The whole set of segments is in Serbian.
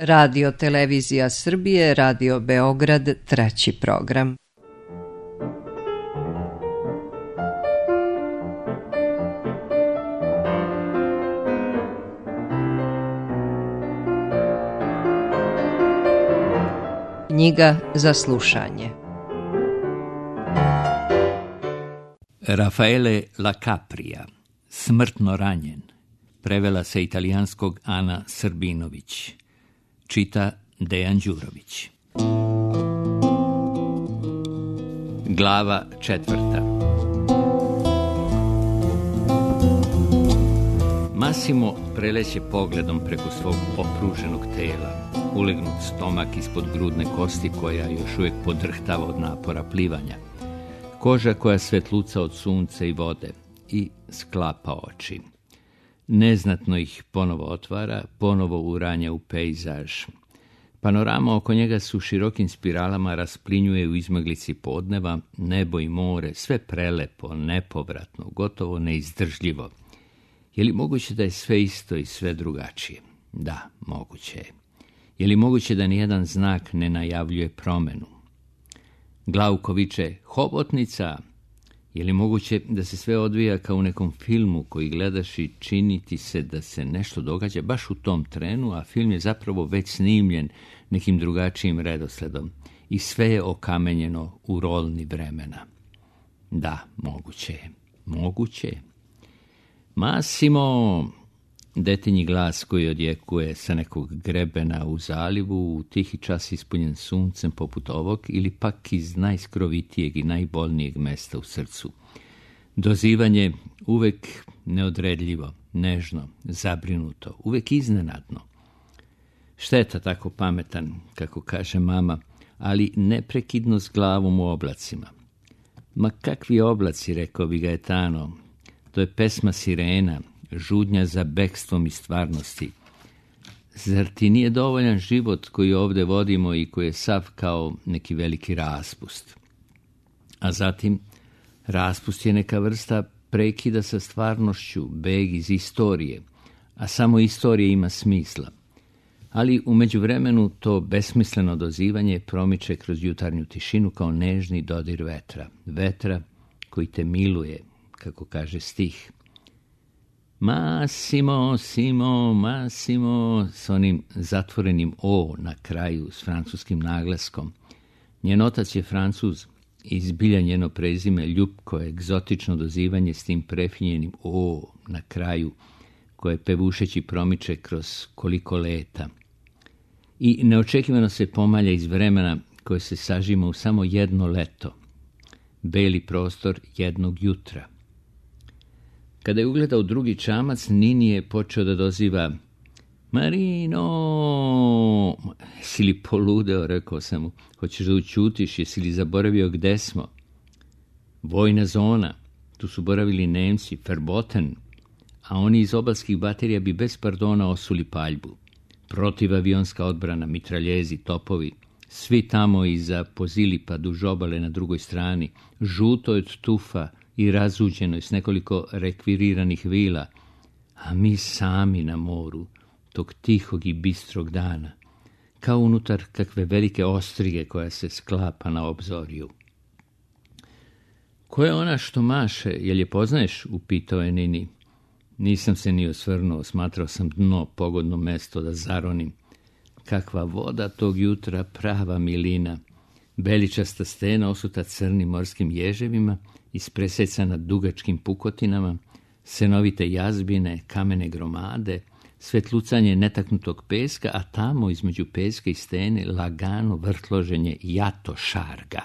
Radio Televizija Srbije, Radio Beograd, treći program. Knjiga za slušanje. Raffaele La Capria, Smrtno ranjen. Prevela sa italijanskog Ana Srbinović. Čita Dejan Đurović. Glava 4. Massimo preleće pogledom preko svog opruženog tela, ulegnut stomak ispod grudne kosti koja još uvijek podrhtava od napora plivanja, koža koja svetluca od sunca i vode, i sklapa oči. Neznatno ih ponovo otvara, ponovo uranja u pejzaž. Panorama oko njega su širokim spiralama rasplinjuje u izmaglici podneva, nebo i more, sve prelepo, nepovratno, gotovo neizdržljivo. Je li moguće da je sve isto i sve drugačije? Da, moguće je. Je li moguće da nijedan znak ne najavljuje promenu? Glauko viče, hobotnica! Je li moguće da se sve odvija kao u nekom filmu koji gledaš i čini ti se da se nešto događa baš u tom trenu, a film je zapravo već snimljen nekim drugačijim redosledom i sve je okamenjeno u rolni vremena? Da, moguće je. Moguće je. Massimo! Detinji glas koji odjekuje sa nekog grebena u zalivu u tihi čas ispunjen suncem poput ovog ili pak iz najskrovitijeg i najbolnijeg mesta u srcu. Dozivanje uvek neodredljivo, nežno, zabrinuto, uvek iznenadno. Šteta tako pametan, kako kaže mama, ali neprekidno s glavom u oblacima. Ma kakvi oblaci, rekao bi Gaetano, to je pesma sirena, žudnja za bekstvom i stvarnosti. Zar ti nije dovoljan život koji ovdje vodimo i koji je sav kao neki veliki raspust? A zatim, raspust je neka vrsta prekida sa stvarnošću, beg iz istorije, a samo istorija ima smisla. Ali u međuvremenu to besmisleno dozivanje promiče kroz jutarnju tišinu kao nežni dodir vetra. Vetra koji te miluje, kako kaže stih. Massimo, Simo, Massimo, s onim zatvorenim O na kraju, s francuskim naglaskom. Njen otac je Francuz i zbilja njeno prezime ljubko, egzotično dozivanje s tim prefinjenim O na kraju, koje pevušeći promiče kroz koliko leta. I neočekivano se pomalja iz vremena koje se sažima u samo jedno leto, beli prostor jednog jutra. Kada je ugledao drugi čamac, Nini je počeo da doziva Marino! Jesi li poludeo, rekao sam mu. Hoćeš da učutiš, jesi li zaboravio gde smo? Vojna zona, tu su boravili Nemci, Verboten, a oni iz obalskih baterija bi bez pardona osuli paljbu. Protivavionska odbrana, mitraljezi, topovi, svi tamo iza Pozilipa duž obale na drugoj strani, žuto od tufa i razuđeno s nekoliko rekviriranih vila, a mi sami na moru, tog tihog i bistrog dana, kao unutar kakve velike ostrige koja se sklapa na obzorju. Ko je ona što maše, jel je poznaješ? Upitao je Nini. Nisam se ni osvrnuo, smatrao sam dno pogodno mesto da zaronim. Kakva voda tog jutra, prava milina, beličasta stena osuta crnim morskim ježevima, ispresecana dugačkim pukotinama, senovite jazbine, kamene gromade, svetlucanje netaknutog peska, a tamo između peska i stene lagano vrtloženje jato šarga.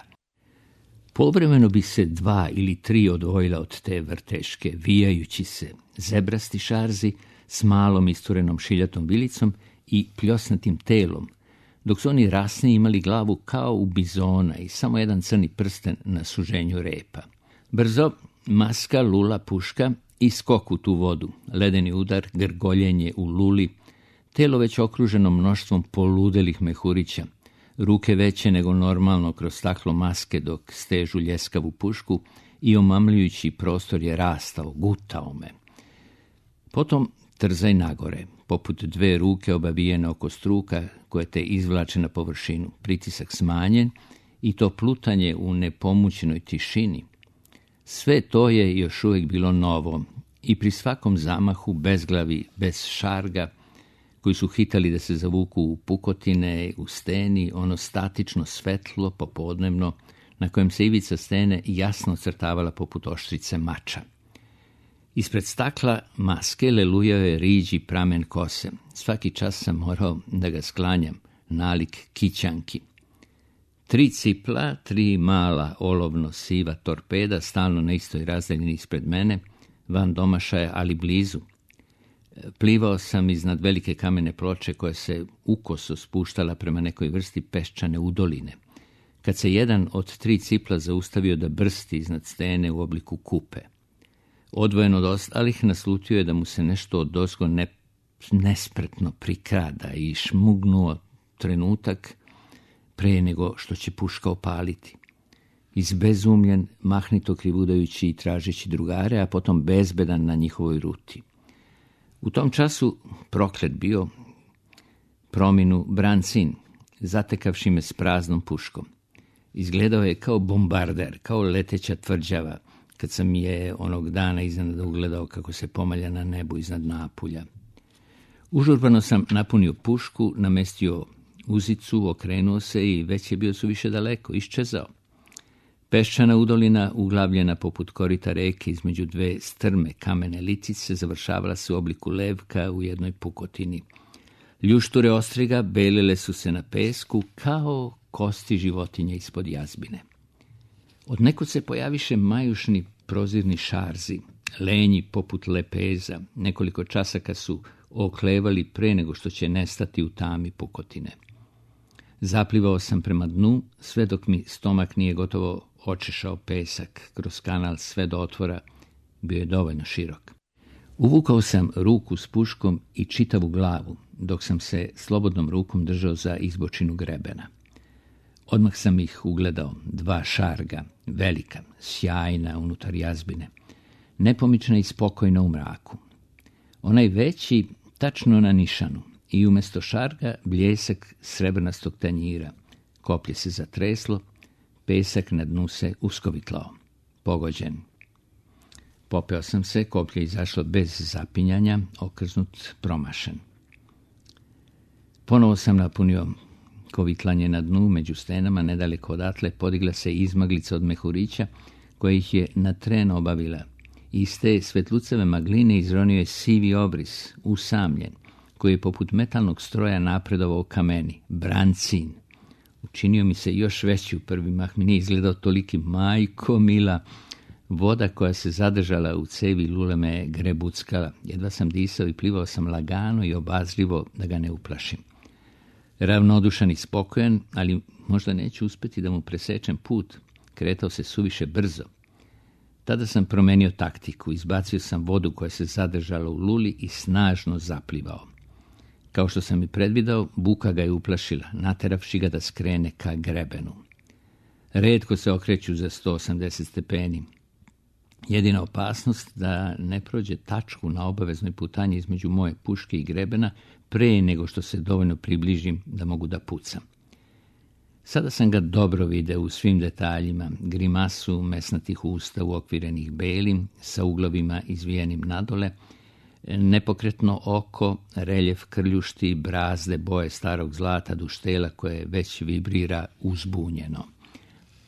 Povremeno bi se 2 ili 3 odvojila od te vrteške, vijajući se, zebrasti šarzi s malom isturenom šiljatom vilicom i pljosnatim telom, dok su oni rasni imali glavu kao u bizona i samo jedan crni prsten na suženju repa. Brzo, maska, lula, puška i skok u tu vodu, ledeni udar, grgoljenje u luli, telo već okruženo mnoštvom poludelih mehurića, ruke veće nego normalno kroz staklo maske dok stežu ljeskavu pušku i omamljujući prostor je rastao, gutao me. Potom trzaj nagore, poput dve ruke obavijene oko struka koje te izvlače na površinu. Pritisak smanjen i to plutanje u nepomućenoj tišini. Sve to je još uvijek bilo novo i pri svakom zamahu bezglavi, bez šarga, koji su hitali da se zavuku u pukotine, u steni, ono statično svetlo, popodnevno, na kojem se ivica stene jasno crtavala poput oštrice mača. Ispred stakla maske lelujao je riđi pramen kose. Svaki čas sam morao da ga sklanjam, nalik kićanki. 3 cipla, 3 mala olovno siva torpeda, stalno na istoj razdaljini ispred mene, van domašaja, ali blizu. Plivao sam iznad velike kamene ploče koja se ukoso spuštala prema nekoj vrsti peščane udoline. Kad se jedan od 3 cipla zaustavio da brsti iznad stene u obliku kupe. Odvojen od ostalih, naslutio je da mu se nešto odozgo nespretno prikrada i šmugnuo trenutak pre nego što će puška opaliti. Izbezumljen, mahnito krivudajući i tražeći drugare, a potom bezbedan na njihovoj ruti. U tom času proklet bio prominu Brancin, zatekavši me s praznom puškom. Izgledao je kao bombarder, kao leteća tvrđava, kad sam je onog dana iznenada ugledao kako se pomalja na nebu iznad Napulja. Užurbano sam napunio pušku, namestio uzicu, okrenuo se i već je bio suviše daleko, iščezao. Peščana udolina, uglavljena poput korita reke između 2 strme kamene licice, završavala se u obliku levka u jednoj pukotini. Ljušture ostriga belile su se na pesku kao kosti životinja ispod jazbine. Odnekud se pojaviše majušni prozirni šarzi, lenji poput lepeza. Nekoliko časaka su oklevali pre nego što će nestati u tami pukotine. Zaplivao sam prema dnu, sve dok mi stomak nije gotovo očešao pesak. Kroz kanal sve do otvora bio je dovoljno širok. Uvukao sam ruku s puškom i čitavu glavu, dok sam se slobodnom rukom držao za izbočinu grebena. Odmah sam ih ugledao, 2 šarga, velika, sjajna unutar jazbine, nepomična i spokojna u mraku. Onaj veći tačno na nišanu i umjesto šarga bljesak srebrnastog tanjira. Koplje se zatreslo, pesak na dnu se uskovitlao. Pogođen. Popeo sam se, koplje izašlo bez zapinjanja, okrznut, promašen. Ponovo sam napunio kovitlanje na dnu, među stenama, nedaleko odatle, podigla se izmaglica od mehurića, koja ih je na tren obavila. Iz te svetlucave magline izronio je sivi obris, usamljen, koji je poput metalnog stroja napredovao ka meni. Brancin. Učinio mi se još veći u prvi mah, mi nije izgledao toliki. Majko mila, voda koja se zadržala u cevi lule me grebuckala. Jedva sam disao i plivao sam lagano i obazrivo da ga ne uplašim. Ravnodušan i spokojan, ali možda neću uspjeti da mu presečem put. Kretao se suviše brzo. Tada sam promenio taktiku, izbacio sam vodu koja se zadržala u luli i snažno zaplivao. Kao što sam i predvidao, buka ga je uplašila, nateravši ga da skrene ka grebenu. Retko se okreću za 180 stepeni. Jedina opasnost da ne prođe tačku na obaveznoj putanji između moje puške i grebena pre nego što se dovoljno približim da mogu da pucam. Sada sam ga dobro video u svim detaljima, grimasu mesnatih usta uokvirenih belim, sa uglovima izvijenim nadole, nepokretno oko, reljef krljušti, brazde boje starog zlata, duštela koje već vibrira uzbunjeno.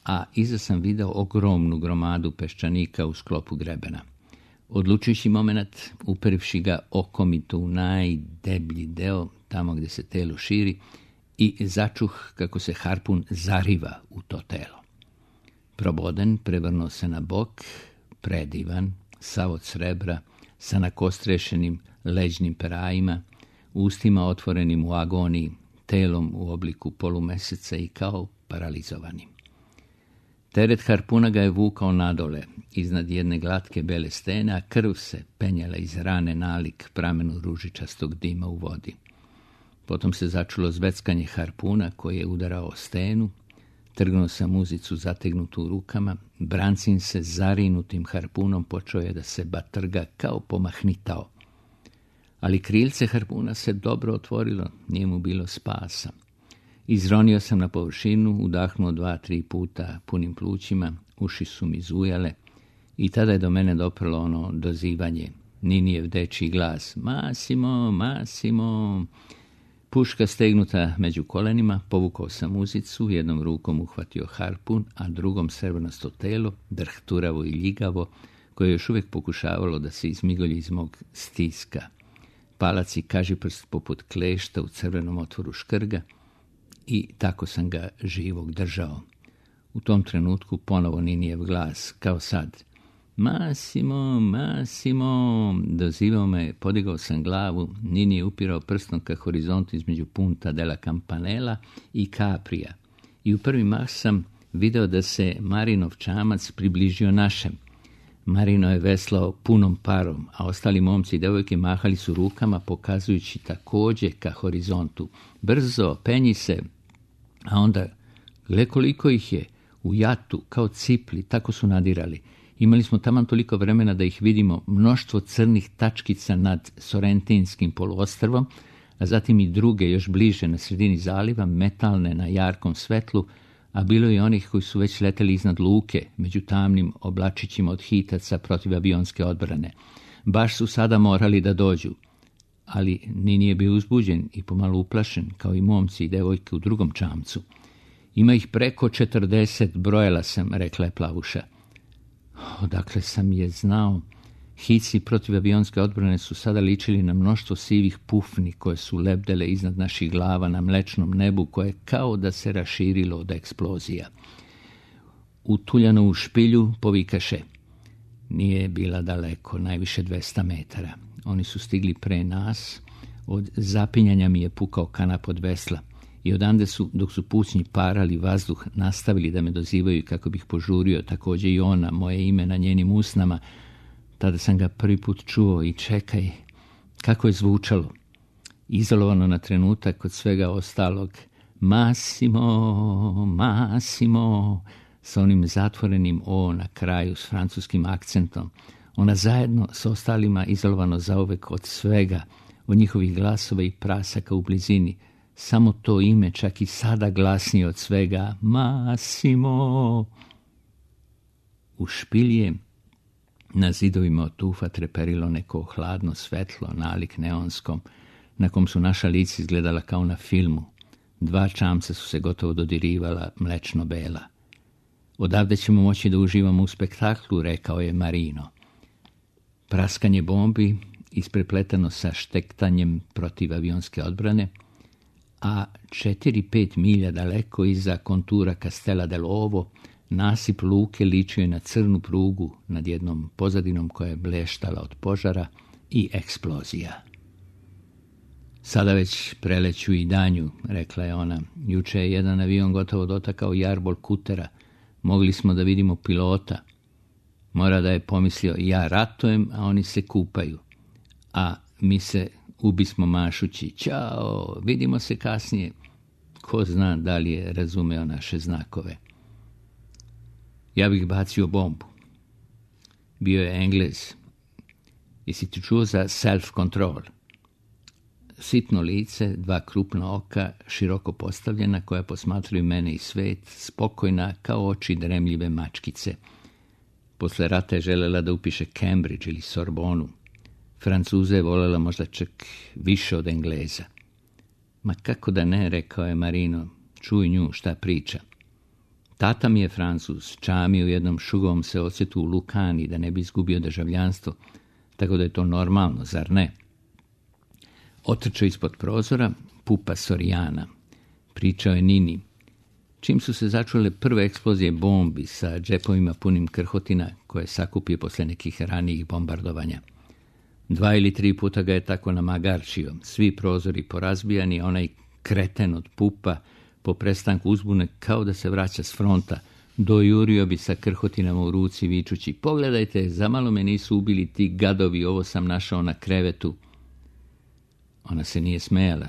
A iza sam video ogromnu gromadu peščanika u sklopu grebena. Odlučujući moment, uperivši ga okom i to u najdeblji deo, tamo gdje se telo širi, i začuh kako se harpun zariva u to telo. Proboden, prevrnuo se na bok, predivan, sav od srebra, sa nakostrešenim leđnim perajima, ustima otvorenim u agoniji, telom u obliku polumeseca i kao paralizovanim. Teret harpuna ga je vukao nadole, iznad jedne glatke bele stene, a krv se penjala iz rane nalik pramenu ružičastog dima u vodi. Potom se začulo zveckanje harpuna koji je udarao o stenu, trgnuo sam uzicu zategnutu u rukama, Brancin se zarinutim harpunom počeo je da se batrga kao pomahnitao. ali krilce harpuna se dobro otvorilo, nije mu bilo spasa. Izronio sam na površinu, udahnuo 2-3 puta punim plućima, uši su mi zujale i tada je do mene doprlo ono dozivanje, Ninijev dečji glas: Massimo, Massimo. Puška stegnuta među kolenima, povukao sam uzicu, jednom rukom uhvatio harpun, a drugom srebrnasto telo, drhturavo i ljigavo, koje je još uvijek pokušavalo da se izmigolji iz mog stiska. Palac i kažiprst poput klešta u crvenom otvoru škrga i tako sam ga živog držao. U tom trenutku ponovo Ninijev glas, kao sad: Massimo, Massimo. Dozivao me, podigao sam glavu, Nini je upirao prstom ka horizontu između Punta della Campanella i Caprija. I u prvi mah sam video da se Marinov čamac približio našem. Marino je veslao punom parom, a ostali momci i devojke mahali su rukama, pokazujući također ka horizontu. Brzo, penji se. A onda, gle koliko ih je, u jatu, kao cipli, tako su nadirali. Imali smo taman toliko vremena da ih vidimo, mnoštvo crnih tačkica nad Sorrentinskim poluostrvom, a zatim i druge još bliže na sredini zaliva, metalne na jarkom svetlu, a bilo je onih koji su već leteli iznad luke, među tamnim oblačićima od hitaca protiv avionske odbrane. Baš su sada morali da dođu. Ali Nini je bio uzbuđen i pomalo uplašen, kao i momci i devojke u drugom čamcu. Ima ih preko 40, brojala sam, rekla je Plavuša. Odakle sam je znao? Hici protiv avionske odbrane su sada ličili na mnoštvo sivih pufni koje su lebdele iznad naših glava na mlečnom nebu, koje kao da se raširilo od eksplozija. Utuljano u špilju povikaše. Nije bila daleko, najviše 200 metara. Oni su stigli pre nas, od zapinjanja mi je pukao kanap od vesla i odande su, dok su pucnji parali vazduh, nastavili da me dozivaju kako bih požurio, također i ona, moje ime na njenim usnama. Tada sam ga prvi put čuo i čekaj, kako je zvučalo. Izolovano na trenutak od svega ostalog. Massimo, Massimo, sa onim zatvorenim o na kraju s francuskim akcentom. Ona zajedno s ostalima izolovano zauvek od svega, od njihovih glasova i prasaka u blizini. Samo to ime čak i sada glasnije od svega. Massimo. U špilje na zidovima od tufa treperilo neko hladno svetlo, nalik neonskom, na kom su naša lica izgledala kao na filmu. 2 čamca su se gotovo dodirivala, mlečno bela. Odavde ćemo moći da uživamo u spektaklu, rekao je Marino. Praskanje bombi isprepletano sa štektanjem protiv avionske odbrane, a 4-5 milja daleko iza kontura Castello dell'Ovo nasip luke ličio je na crnu prugu nad jednom pozadinom koja je bleštala od požara i eksplozija. Sada već preleću i danju, rekla je ona. Juče je jedan avion gotovo dotakao jarbol kutera. Mogli smo da vidimo pilota. Mora da je pomislio, ja ratujem, a oni se kupaju. A mi se ubismo mašući. Ćao, vidimo se kasnije. Ko zna da li je razumeo naše znakove. Ja bih bacio bombu. Bio je Englez. Jesi ti čuo za self-control? Sitno lice, 2 krupna oka, široko postavljena, koja posmatraju mene i svet, spokojna kao oči dremljive mačkice. Posle rata je želela da upiše Cambridge ili Sorbonu. Francuze je voljela možda čak više od Engleza. Ma kako da ne, rekao je Marino, čuj nju šta priča. Tata mi je Francuz, čami u jednom šugovom se odsjetu u Lukani da ne bi izgubio državljanstvo, tako da je to normalno, zar ne? Otrčao ispod prozora, pupa Sorijana. Pričao je Nini. Čim su se začule prve eksplozije bombi sa džepovima punim krhotina koje sakupio posle nekih ranijih bombardovanja. 2 ili 3 puta ga je tako namagarčio, svi prozori porazbijani, onaj kreten od pupa po prestanku uzbune kao da se vraća s fronta, dojurio bi sa krhotinama u ruci vičući, pogledajte, zamalo me nisu ubili ti gadovi, ovo sam našao na krevetu. Ona se nije smejala.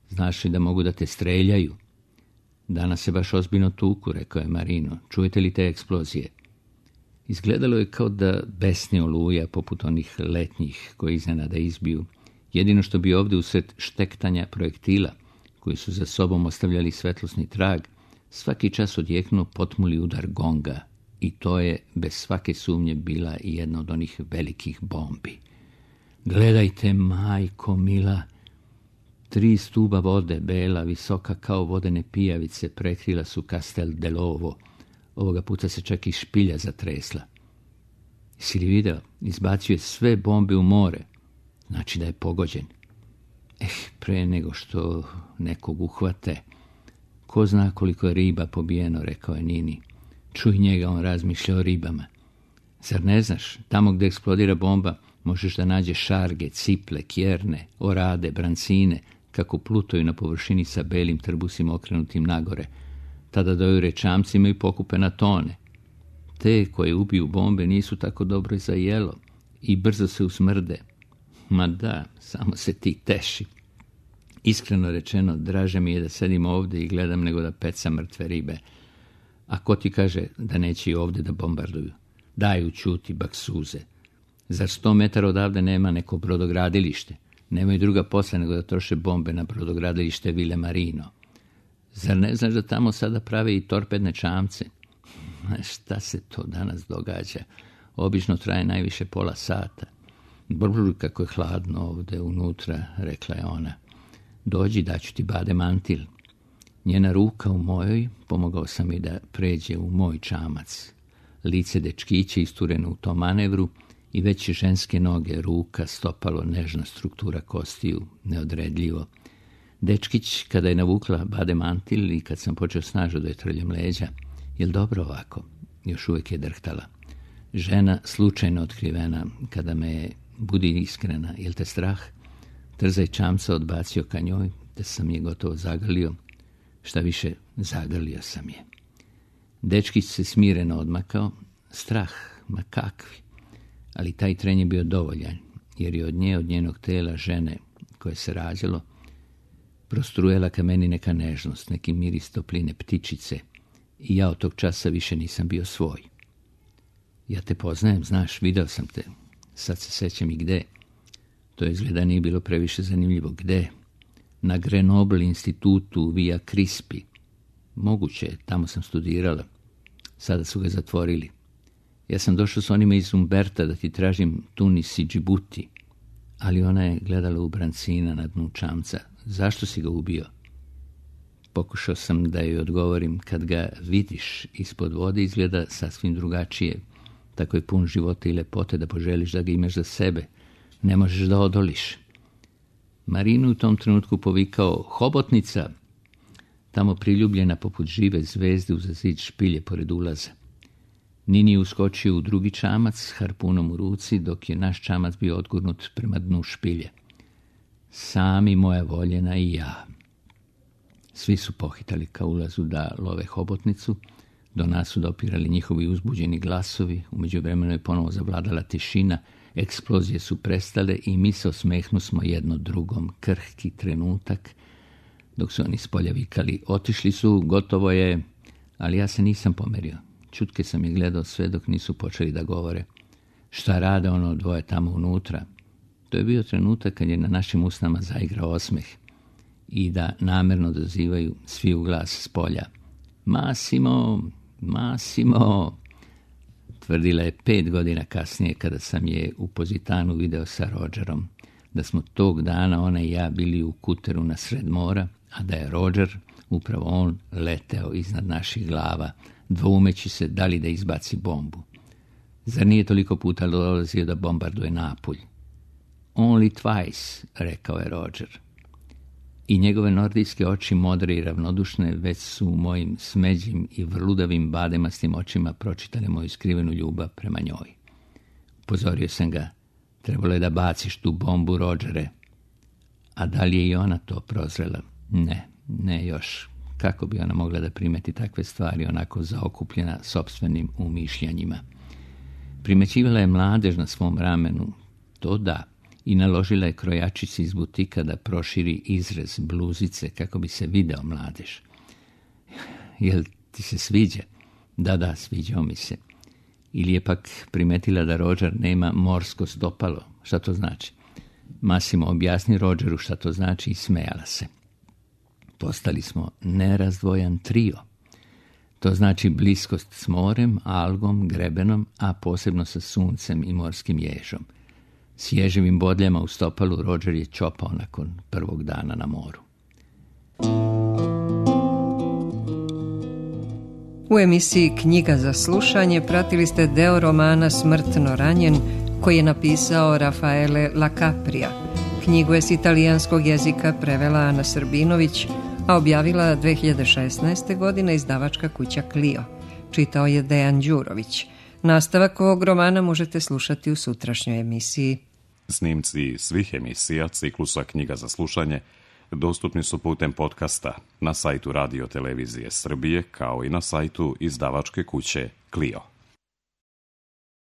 Znaš li da mogu da te streljaju? Danas se baš ozbiljno tuku, rekao je Marino. Čujete li te eksplozije? Izgledalo je kao da besni oluja poput onih letnjih koji iznenada izbiju Jedino što bi ovdje usred štektanja projektila, koji su za sobom ostavljali svetlosni trag, svaki čas odjeknuo potmuli udar gonga, i to je bez svake sumnje bila i jedna od onih velikih bombi. Gledajte, majko mila, 3 stuba vode, bela, visoka kao vodene pijavice, prekrila su Castel dell'Ovo. Ovoga puta se čak i špilja zatresla. Jesi li video? Izbacio je sve bombe u more. Znači da je pogođen. Pre nego što nekog uhvate. Ko zna koliko je riba pobijeno, rekao je Nini. Čuj njega, on razmišlja o ribama. Zar ne znaš, tamo gdje eksplodira bomba, možeš da nađeš šarge, ciple, kjerne, orade, brancine, kako plutaju na površini sa belim trbusima okrenutim nagore. Tada dojure čamcima i pokupe na tone. Te koje ubiju bombe nisu tako dobro za jelo i brzo se usmrde. Ma da, samo se ti teši. Iskreno rečeno, draže mi je da sedim ovdje i gledam nego da pecam mrtve ribe. A ko ti kaže da neće i ovdje da bombarduju? Daju ćuti, baksuze. Zar 100 metara odavde nema neko brodogradilište? Nemaju druga posla nego da troše bombe na brodogradilište Ville Marino. Zar ne znaš da tamo sada prave i torpedne čamce? Šta se to danas događa? Obično traje najviše pola sata. Brr, kako je hladno ovdje unutra, rekla je ona. Dođi, daću ti bade mantil. Njena ruka u mojoj, pomogao sam joj da pređe u moj čamac. Lice dečkića istureno u tom manevru i već ženske noge, ruka, stopalo, nežna struktura kostiju, neodredljivo. Dečkić, kada je navukla bade mantil i kad sam počeo snažno da je trljam leđa, jel dobro ovako? Još uvijek je drhtala. Žena, slučajno otkrivena, kada me je, budi iskrena, jel te strah? Trzaj čamca odbacio ka njoj, te sam je gotovo zagrlio. Šta više, zagrlio sam je. Dečkić se smireno odmakao. Strah, ma kakvi. Ali taj tren je bio dovoljan, jer je od njenog tela žene koje se rađalo prostrujela ka meni neka nežnost, neki miris topline ptičice, i ja od tog časa više nisam bio svoj. Ja te poznajem, znaš, video sam te. Sad se sećam i gde. To izgleda nije bilo previše zanimljivo. Gde? Na Grenoble institutu Via Crispi. Moguće, tamo sam studirala. Sada su ga zatvorili. Ja sam došao s onima iz Umberta da ti tražim Tunis i Džibuti. Ali ona je gledala u brancina na dnu čamca. Zašto si ga ubio? Pokušao sam da joj odgovorim. Kad ga vidiš ispod vode izgleda sasvim drugačije. Tako je pun života i lepote da poželiš da ga imaš za sebe. Ne možeš da odoliš. Marinu u tom trenutku povikao hobotnica, tamo priljubljena poput žive zvezde uza zid špilje pored ulaza. Nini je uskočio u drugi čamac s harpunom u ruci, dok je naš čamac bio odgurnut prema dnu špilje. Sami moja voljena i ja. Svi su pohitali ka ulazu da love hobotnicu, do nas su dopirali njihovi uzbuđeni glasovi, u međuvremenu je ponovo zavladala tišina, eksplozije su prestale i mi se osmehnusmo jedno drugom, krhki trenutak, dok su oni spolja vikali, otišli su, gotovo je, ali ja se nisam pomerio. Čutke sam je gledao sve dok nisu počeli da govore. Šta rade ono dvoje tamo unutra? To je bio trenutak kad je na našim usnama zaigrao osmeh i da namerno dozivaju svi u glas s polja. Massimo, Massimo, tvrdila je 5 godina kasnije kada sam je u Pozitanu video sa Rogerom, da smo tog dana ona i ja bili u kuteru na sred mora, a da je Roger, upravo on, leteo iznad naših glava, dvoumeći se da li da izbaci bombu. Zar nije toliko puta dolazio da bombarduje Napulj? Only twice, rekao je Roger. I njegove nordijske oči, modre i ravnodušne, već su u mojim smeđim i vrludavim bademastim očima pročitale moju skrivenu ljubav prema njoj. Upozorio sam ga, trebalo je da baciš tu bombu, Rogere. A da li je i ona to prozrela? Ne još. Kako bi ona mogla da primeti takve stvari onako zaokupljena sopstvenim umišljanjima? Primećivala je mladež na svom ramenu, to da, i naložila je krojačici iz butika da proširi izrez bluzice kako bi se video mladež. Jel ti se sviđa? Da, sviđao mi se. Ili je pak primetila da Roger nema morsko stopalo? Šta to znači? Massimo objasni Rogeru šta to znači i smejala se. Postali smo nerazdvojan trio. To znači bliskost s morem, algom, grebenom, a posebno sa suncem i morskim ježom. S ježevim bodljama u stopalu Roger je čopao nakon prvog dana na moru. U emisiji Knjiga za slušanje pratili ste deo romana Smrtno ranjen koji je napisao Rafaele La Capria. Knjigu je s italijanskog jezika prevela Ana Srbinović, a objavila 2016. godine izdavačka kuća Clio. Čitao je Dejan Đurović. Nastavak ovog romana možete slušati u sutrašnjoj emisiji. Snimci svih emisija ciklusa Knjiga za slušanje dostupni su putem podcasta na sajtu Radio Televizije Srbije kao i na sajtu izdavačke kuće Clio.